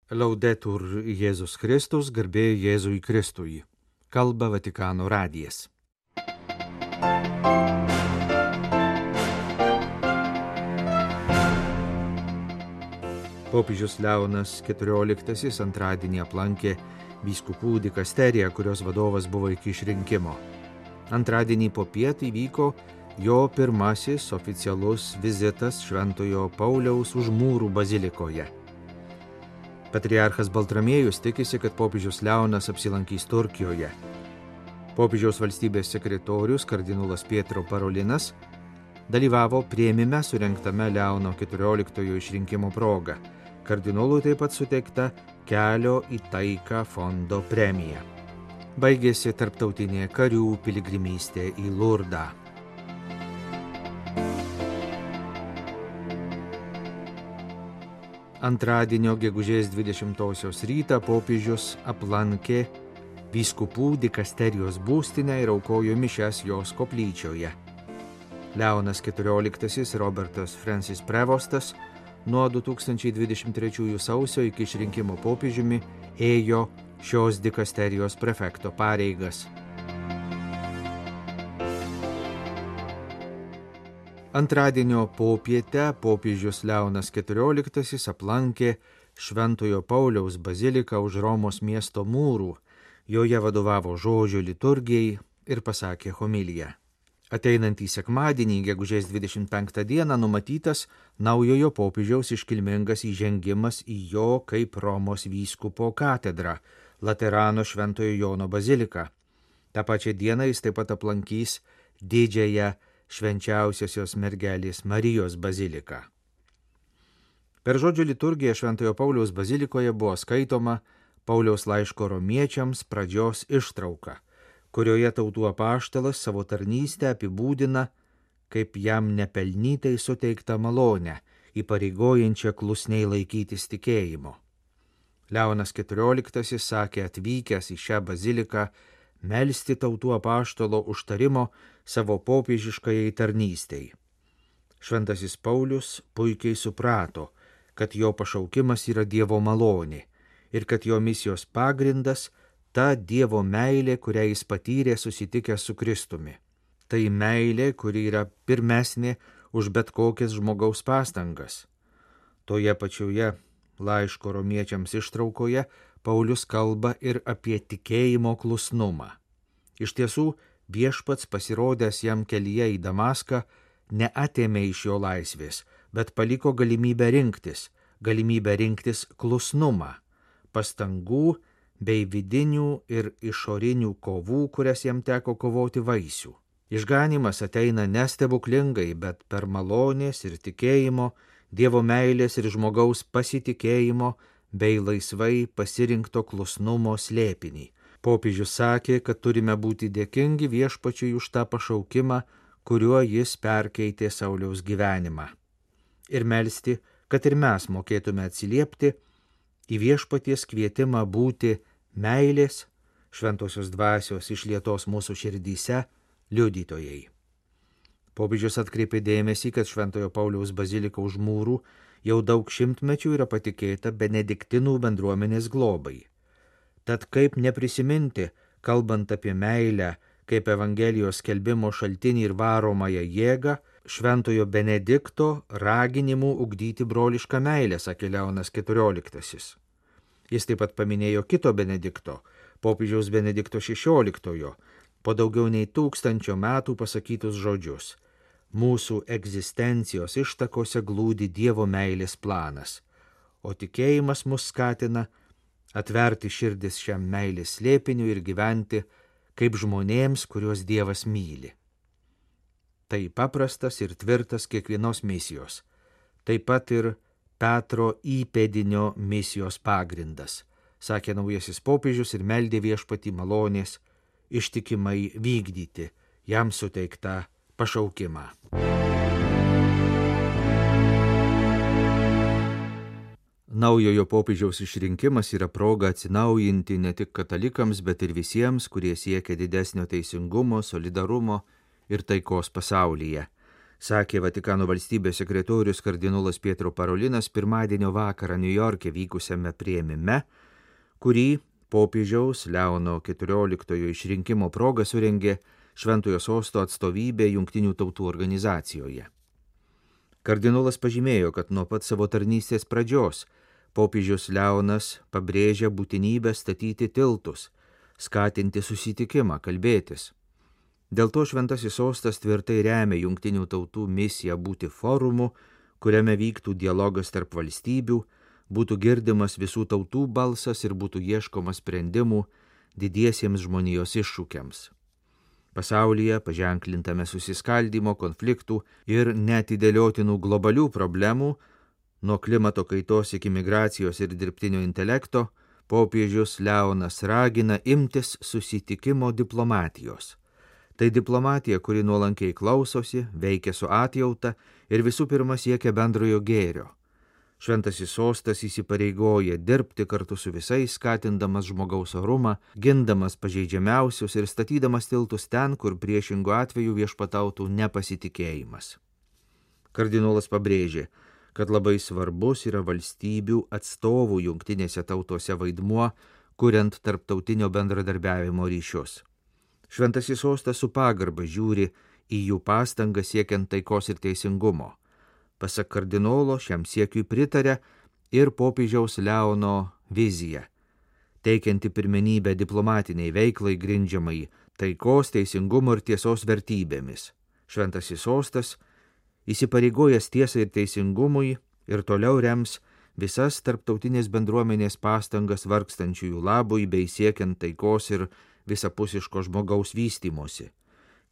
Laudetur Jėzus Kristus, garbė Jėzui Kristui. Kalba Vatikano radijas. Popiežius Leonas XIV antradienį aplankė vyskupų dikasteriją, kurios vadovas buvo iki išrinkimo. Antradienį popiet įvyko jo pirmasis oficialus vizitas Šventojo Pauliaus už mūrų bazilikoje. Patriarchas Baltramiejus tikisi, kad popiežius Leonas apsilankys Turkijoje. Popiežiaus valstybės sekretorius kardinolas Pietro Parolinas dalyvavo priėmime surengtame Leono XIV išrinkimo proga. Kardinolui taip pat suteikta Kelio į taiką fondo premija. Baigėsi tarptautinė karių piligrimystė į Lurdą. Antradienio gegužės 20 rytą popiežius aplankė vyskupų dikasterijos būstinę ir aukojo mišias jos koplyčioje. Leonas XIV Robertas Francis Prevostas nuo 2023 sausio iki išrinkimo popiežiumi ėjo šios dikasterijos prefekto pareigas. Antradienio popietę popiežius Leonas XIV aplankė Šventojo Pauliaus baziliką už Romos miesto mūrų, joje vadovavo žodžio liturgijai ir pasakė homiliją. Ateinantį sekmadienį, gegužės 25 dieną, numatytas naujojo popiežiaus iškilmingas įžengimas į jo kaip Romos vyskupo katedrą, Laterano Šventojo Jono baziliką. Ta pačia diena jis taip pat aplankys didžiąją Švenčiausiosios mergelės Marijos baziliką. Per žodžio liturgiją Šventojo Pauliaus bazilikoje buvo skaitoma Pauliaus laiško romiečiams pradžios ištrauka, kurioje tautų apaštalas savo tarnystę apibūdina kaip jam nepelnytai suteiktą malonę, įpareigojančią klusniai laikytis tikėjimo. Leonas XIV sakė atvykęs į šią baziliką melsti tautų apaštalo užtarimo savo popiežiškajai tarnystei. Šventasis Paulius puikiai suprato, kad jo pašaukimas yra Dievo malonė ir kad jo misijos pagrindas ta Dievo meilė, kurią jis patyrė susitikęs su Kristumi. Tai meilė, kuri yra pirmesnė už bet kokias žmogaus pastangas. Toje pačioje laiško romiečiams ištraukoje Paulius kalba ir apie tikėjimo klusnumą. Iš tiesų, viešpats pasirodęs jam kelyje į Damaską neatėmė iš jo laisvės, bet paliko galimybę rinktis klusnumą, pastangų bei vidinių ir išorinių kovų, kurias jam teko kovoti vaisių. Išganymas ateina nestebuklingai, bet per malonės ir tikėjimo, Dievo meilės ir žmogaus pasitikėjimo bei laisvai pasirinkto klusnumo slėpinį. Popiežius sakė, kad turime būti dėkingi viešpačiui už tą pašaukimą, kuriuo jis perkeitė Sauliaus gyvenimą. Ir melsti, kad ir mes mokėtume atsiliepti į viešpaties kvietimą būti meilės, šventosios dvasios išlietos mūsų širdyse liudytojai. Popiežius atkreipė dėmesį, kad Šventojo Pauliaus bazilika už mūrų jau daug šimtmečių yra patikėta benediktinų bendruomenės globai. Tad kaip neprisiminti, kalbant apie meilę, kaip Evangelijos skelbimo šaltinį ir varomąją jėgą, Šventojo Benedikto raginimų ugdyti brolišką meilę, sakė Leonas XIV. Jis taip pat paminėjo kito Benedikto, popiežiaus Benedikto XVI, po daugiau nei 1000 metų pasakytus žodžius. Mūsų egzistencijos ištakose glūdi Dievo meilės planas, o tikėjimas mus skatina atverti širdis šiam meilės slėpiniui ir gyventi kaip žmonėms, kuriuos Dievas myli. Tai paprastas ir tvirtas kiekvienos misijos, taip pat ir Petro įpėdinio misijos pagrindas, sakė naujasis popiežius ir meldė viešpatį malonės ištikimai vykdyti jam suteiktą pašaukimą. Naujojo popiežiaus išrinkimas yra proga atsinaujinti ne tik katalikams, bet ir visiems, kurie siekia didesnio teisingumo, solidarumo ir taikos pasaulyje. sakė Vatikano valstybės sekretorius kardinolas Pietro Parolinas pirmadienio vakarą Niujorke vykusiame priėmime, kurį popiežiaus Leono XIV išrinkimo proga surengė Šventojo Sosto atstovybė Jungtinių tautų organizacijoje. Kardinolas pažymėjo, kad nuo pat savo tarnystės pradžios popiežius Leonas pabrėžia būtinybę statyti tiltus, skatinti susitikimą, kalbėtis. Dėl to Šventasis Sostas tvirtai remia Jungtinių tautų misiją būti forumu, kuriame vyktų dialogas tarp valstybių, būtų girdimas visų tautų balsas ir būtų ieškoma sprendimų didiesiems žmonijos iššūkiams. Pasaulyje paženklintame susiskaldymo, konfliktų ir neatidėliotinų globalių problemų, nuo klimato kaitos iki migracijos ir dirbtinio intelekto, popiežius Leonas ragina imtis susitikimo diplomatijos. Tai diplomatija, kuri nuolankiai klausosi, veikia su atjauta ir visų pirma siekia bendrojo gėrio. Šventasis Sostas įsipareigoja dirbti kartu su visais, skatindamas žmogaus orumą, gindamas pažeidžiamiausius ir statydamas tiltus ten, kur priešingų atveju viešpatautų nepasitikėjimas. Kardinolas pabrėžė, kad labai svarbus yra valstybių atstovų jungtinėse tautose vaidmuo, kuriant tarptautinio bendradarbiavimo ryšius. Šventasis Sostas su pagarba žiūri į jų pastangas siekiant taikos ir teisingumo. Pasak kardinolo, šiam siekiui pritarė ir popiežiaus Leono vizija, teikianti pirmenybę diplomatiniai veiklai grindžiamai taikos, teisingumo ir tiesos vertybėmis. Šventasis Sostas, įsipareigojęs tiesai ir teisingumui, ir toliau rems visas tarptautinės bendruomenės pastangas vargstančiųjų labui bei siekiant taikos ir visapusiško žmogaus vystymosi.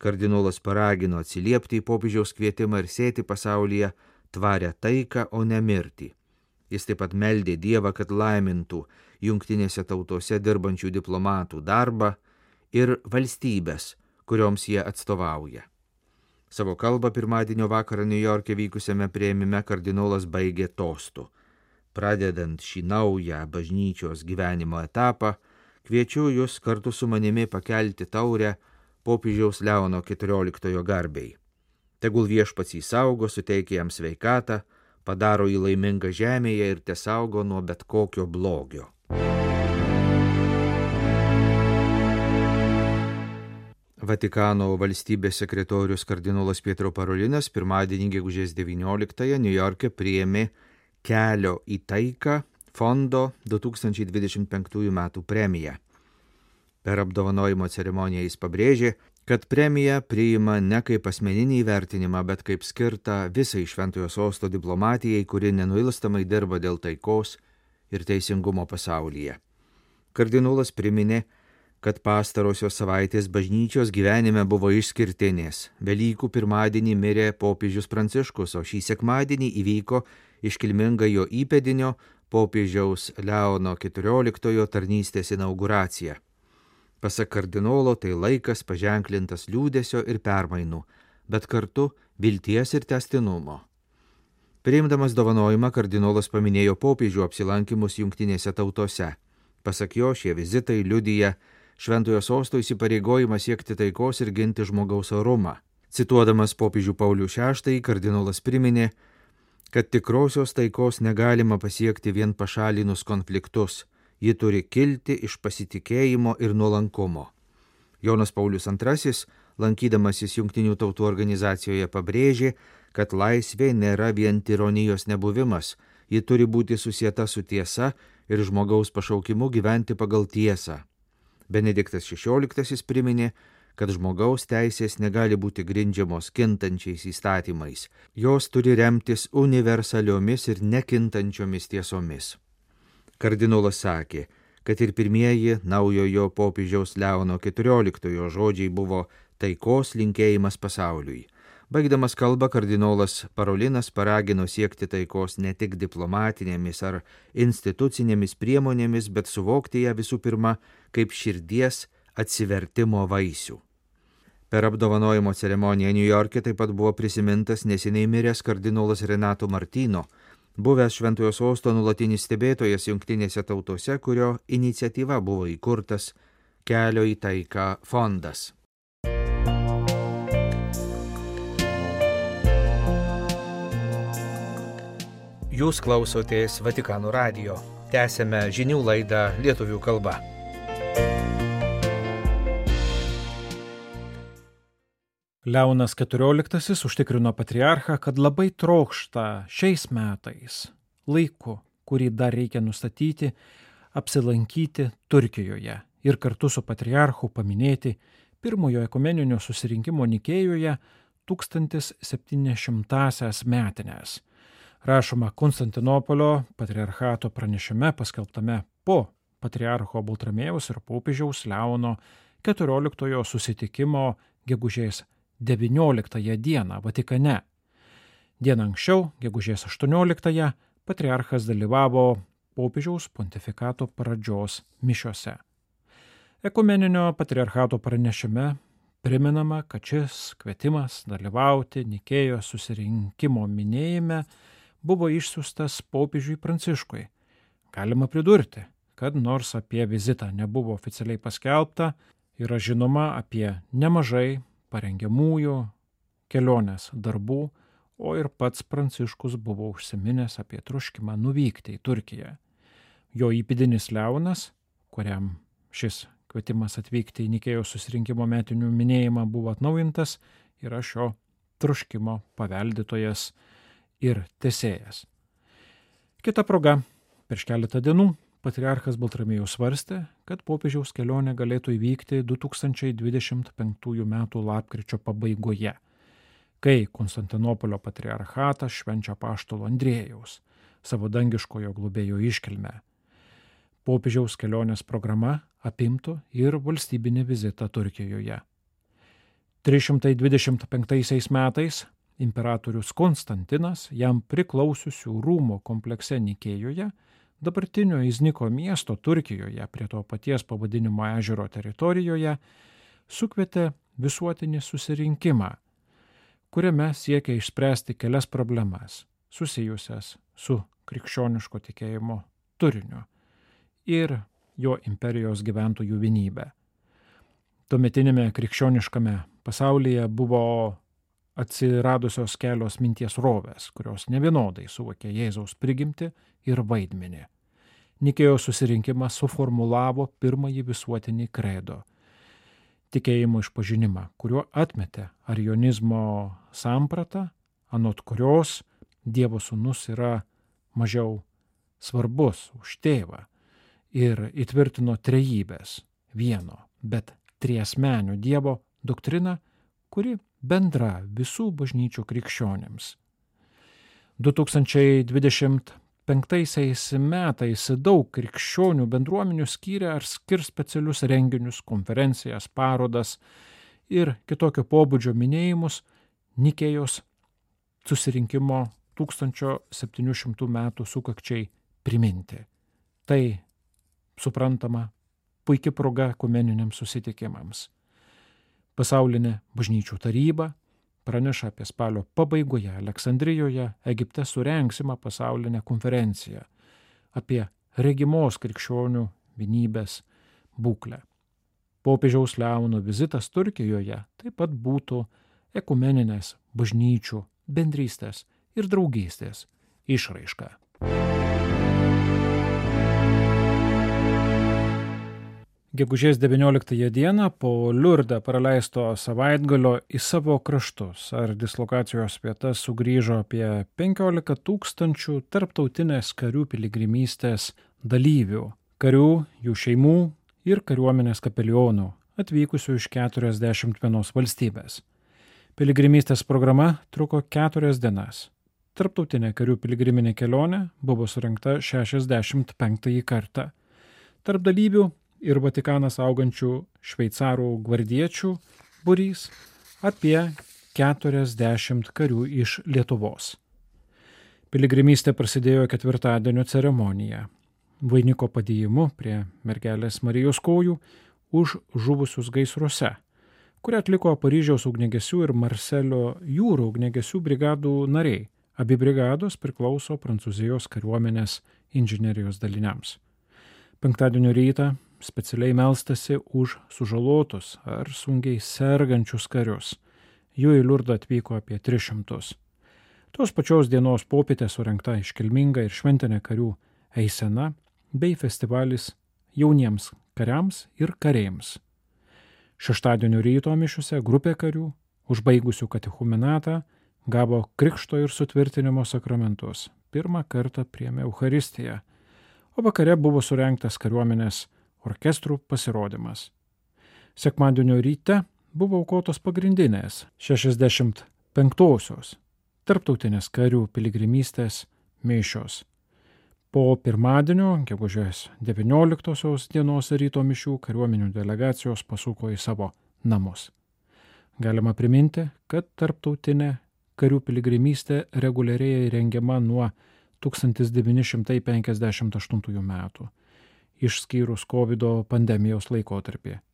Kardinolas paragino atsiliepti į popiežiaus kvietimą ir sėti pasaulyje tvarę taiką, o ne mirtį. Jis taip pat meldė Dievą, kad laimintų jungtinėse tautose dirbančių diplomatų darbą ir valstybės, kurioms jie atstovauja. Savo kalbą pirmadienio vakarą Niujorke vykusiame priėmime kardinolas baigė tostu. Pradedant šį naują bažnyčios gyvenimo etapą, kviečiu jūs kartu su manimi pakelti taurę popiežiaus Leono XIV garbei. Tegul viešpats jį saugo, suteikia jam sveikatą, padaro jį laimingą žemėje ir tesaugo nuo bet kokio blogio. Vatikano valstybės sekretorius kardinolas Pietro Parolinas pirmadienį gegužės 19-ąją Niujorke priėmė Kelio į taiką fondo 2025 metų premiją. Per apdovanojimo ceremoniją jis pabrėžė, kad premiją priima ne kaip asmeninį įvertinimą, bet kaip skirtą visai Šventojo Sosto diplomatijai, kuri nenuilstamai dirba dėl taikos ir teisingumo pasaulyje. Kardinolas priminė, kad pastarosios savaitės bažnyčios gyvenime buvo išskirtinės. Velykų pirmadienį mirė popiežius Pranciškus, o šį sekmadienį įvyko iškilminga jo įpėdinio popiežiaus Leono XIV tarnystės inauguracija. Pasak kardinolo, tai laikas paženklintas liūdesio ir permainų, bet kartu vilties ir tęstinumo. Priimdamas dovanojimą, kardinolas paminėjo popiežių apsilankimus jungtinėse tautose. Pasak jo, šie vizitai liudija Šventojo Sosto įsipareigojimą siekti taikos ir ginti žmogaus orumą. Cituodamas popiežių Paulių VI, kardinolas priminė, kad tikrosios taikos negalima pasiekti vien pašalinus konfliktus. Ji turi kilti iš pasitikėjimo ir nuolankumo. Jonas Paulius II, lankydamasis Jungtinių tautų organizacijoje, pabrėžė, kad laisvė nėra vien tironijos nebuvimas, ji turi būti susieta su tiesa ir žmogaus pašaukimu gyventi pagal tiesą. Benediktas XVI priminė, kad žmogaus teisės negali būti grindžiamos kintančiais įstatymais, jos turi remtis universaliomis ir nekintančiomis tiesomis. Kardinolas sakė, kad ir pirmieji naujojo popiežiaus Leono XIV žodžiai buvo taikos linkėjimas pasauliui. Baigdamas kalbą, kardinolas Parolinas paragino siekti taikos ne tik diplomatinėmis ar institucinėmis priemonėmis, bet suvokti ją visų pirma kaip širdies atsivertimo vaisių. Per apdovanojimo ceremoniją Niujorke taip pat buvo prisimintas neseniai miręs kardinolas Renato Martino, buvęs Šventojo Sosto nuolatinis stebėtojas jungtinėse tautose, kurio iniciatyva buvo įkurtas Kelio į taiką fondas. Jūs klausotės Vatikano radijo. Tęsėme žinių laidą lietuvių kalba. Leonas XIV užtikrino patriarchą, kad labai trokšta šiais metais, laiku, kurį dar reikia nustatyti, apsilankyti Turkijoje ir kartu su patriarchu paminėti pirmojo ekumeninio susirinkimo Nikėjoje 1700-asias metinės. Rašoma Konstantinopolio patriarchato pranešime paskelbtame po patriarcho Baltramiejaus ir popiežiaus Leono XIV susitikimo gegužės 19 dieną Vatikane. Dieną anksčiau, gegužės 18, patriarchas dalyvavo popiežiaus pontifikato pradžios mišiose. Ekumeninio patriarchato pranešime priminama, kad šis kvietimas dalyvauti Nikėjos susirinkimo minėjime buvo išsiųstas popiežiui Pranciškui. Galima pridurti, kad nors apie vizitą nebuvo oficialiai paskelbta, yra žinoma apie nemažai parengiamųjų kelionės darbų, o ir pats Pranciškus buvo užsiminęs apie troškimą nuvykti į Turkiją. Jo įpėdinis Leonas, kuriam šis kvietimas atvykti į Nikėjos susirinkimo metinių minėjimą buvo atnaujintas, yra šio troškimo paveldėtojas ir tęsėjas. Kita proga, prieš keletą dienų patriarchas Baltramiejus svarstė, kad popiežiaus kelionė galėtų įvykti 2025 metų lapkričio pabaigoje, kai Konstantinopolio patriarchatas švenčia apaštalo Andriejaus, savo dangiškojo globėjo iškilmę. Popiežiaus kelionės programa apimtų ir valstybinį vizitą Turkijoje. 325 metais imperatorius Konstantinas jam priklausiusių rūmų komplekse Nikėjoje, dabartinio Izniko miesto Turkijoje prie to paties pavadinimo ežero teritorijoje, sukvietė visuotinį susirinkimą, kuriame siekia išspręsti kelias problemas susijusias su krikščioniško tikėjimo turiniu ir jo imperijos gyventojų vienybę. Tuometinėme krikščioniškame pasaulyje buvo atsiradusios kelios minties rovės, kurios nevienodai suvokė Jėzaus prigimtį ir vaidmenį. Nikėjos susirinkimas suformulavo pirmąjį visuotinį kredo tikėjimo išpažinimą, kuriuo atmetė arionizmo sampratą, anot kurios Dievo sūnus yra mažiau svarbus už tėvą ir įtvirtino trejybės vieno, bet triasmenio Dievo doktriną, kuri bendra visų bažnyčių krikščionėms. 2025 metais daug krikščionių bendruomenių skyrė ar skirs specialius renginius, konferencijas, parodas ir kitokio pobūdžio minėjimus Nikėjos susirinkimo 1700 metų sukakčiai priminti. Tai, suprantama, puikia proga ekumeniniams susitikimams. Pasaulinė bažnyčių taryba praneša apie spalio pabaigoje Aleksandrijoje, Egipte surengsimą pasaulinę konferenciją apie regimos krikščionių vienybės būklę. Popiežiaus Leono vizitas Turkijoje taip pat būtų ekumeninės bažnyčių bendrystės ir draugystės išraiška. Gegužės 19 dieną po Liurde praleisto savaitgalio į savo kraštus ar dislokacijos vietas sugrįžo apie 15 000 tarptautinės karių piligrimystės dalyvių, karių, jų šeimų ir kariuomenės kapelionų, atvykusių iš 41 valstybės. Piligrimystės programa truko 4 dienas. Tarptautinė karių piligriminė kelionė buvo surengta 65 kartą. Tarp dalyvių ir Vatikaną saugančių šveicarų gvardiečių būrys apie 40 karių iš Lietuvos. Piligrimystė prasidėjo ketvirtadienio ceremonija, vainiko padėjimu prie mergelės Marijos kojų už žuvusius gaisruose, kurią atliko Paryžiaus ugniagesių ir Marselio jūrų ugniagesių brigadų nariai. Abi brigados priklauso Prancūzijos kariuomenės inžinerijos daliniams. Penktadienio rytą specialiai melstasi už sužalotus ar sunkiai sergančius karius. Jų į Liurdą atvyko apie 300. Tos pačios dienos popietę surengta iškilminga ir šventinė karių eisena bei festivalis jauniems kariams ir kareims. Šeštadienio ryto mišiuose grupė karių, užbaigusių katechumenatą, gavo krikšto ir sutvirtinimo sakramentus. Pirmą kartą priėmė Eucharistiją, o vakare buvo surengtas kariuomenės orkestrų pasirodymas. Sekmadienio ryte buvo aukotos pagrindinės 65-osios tarptautinės karių piligrimystės mišios. Po pirmadienio, gegužės 19 dienos ryto mišių kariuomenių delegacijos pasuko į savo namus. Galima priminti, kad tarptautinė karių piligrimystė reguliariai rengiama nuo 1958 metų, išskyrus COVID pandemijos laikotarpį.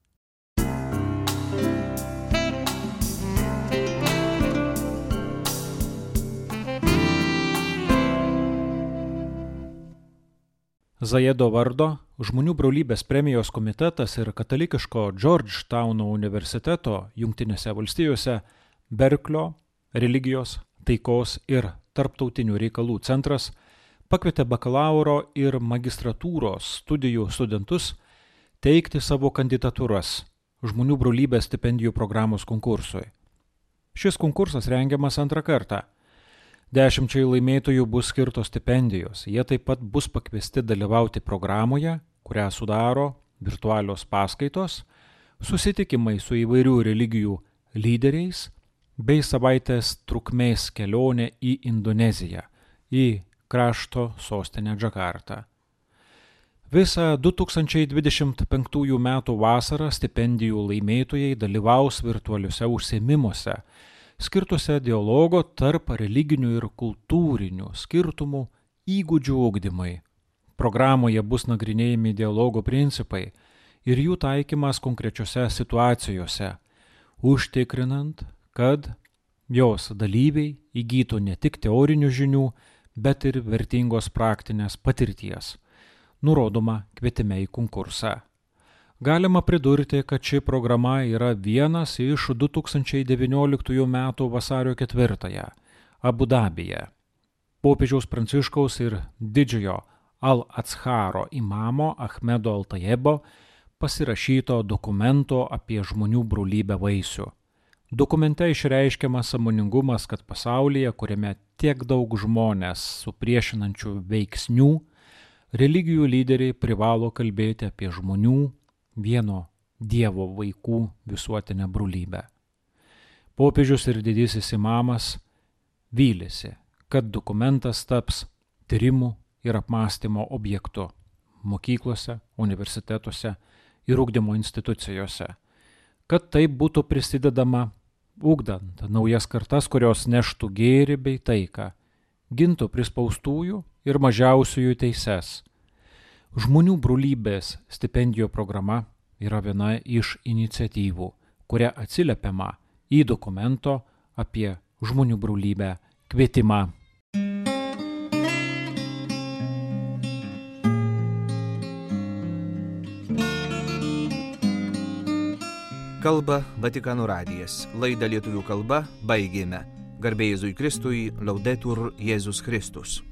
Zajedo vardo Žmonių brolybės premijos komitetas ir katalikiško Georgetowno universiteto Jungtinėse valstijose Berklio religijos, taikos ir tarptautinių reikalų centras pakvietė bakalauro ir magistratūros studijų studentus teikti savo kandidatūras Žmonių brolybės stipendijų programos konkursui. Šis konkursas rengiamas antrą kartą. 10 laimėtojų bus skirtos stipendijos. Jie taip pat bus pakviesti dalyvauti programoje, kurią sudaro virtualios paskaitos, susitikimai su įvairių religijų lyderiais bei savaitės trukmės kelionė į Indoneziją, į krašto sostinę Džakartą. Visą 2025 metų vasarą stipendijų laimėtojai dalyvaus virtualiuose užsiėmimuose, skirtuose dialogo tarp religinių ir kultūrinių skirtumų įgūdžių ugdymai. Programoje bus nagrinėjami dialogo principai ir jų taikymas konkrečiose situacijose, užtikrinant, kad jos dalyviai įgytų ne tik teorinių žinių, bet ir vertingos praktinės patirties, nurodoma kvietime į konkursą. Galima pridurti, kad ši programa yra vienas iš 2019 metų vasario 4 Abu Dabyje popiežiaus Pranciškaus ir didžiojo Al-Atsharo imamo Ahmedo Al-Tayebo pasirašyto dokumento apie žmonių brolybę vaisių. Dokumente išreiškiamas sąmoningumas, kad pasaulyje, kuriame tiek daug žmonės su priešinančių veiksnių, religijų lyderiai privalo kalbėti apie žmonių vieno Dievo vaikų visuotinę brolybę. Popiežius ir didysis imamas vylėsi, kad dokumentas taps tyrimų ir apmąstymo objektu mokyklose, universitetuose ir ugdymo institucijose, kad taip būtų prisidedama ugdant naujas kartas, kurios neštų gėrį bei taiką, gintų prispaustųjų ir mažiausiųjų teises. Žmonių brolybės stipendijų programa yra viena iš iniciatyvų, kuria atsiliepiama į dokumento apie žmonių brolybę kvietimą. Kalba Vatikano radijas. Laidą lietuvių kalba baigėme. Garbė Jėzui Kristui, Laudetur Jėzus Kristus.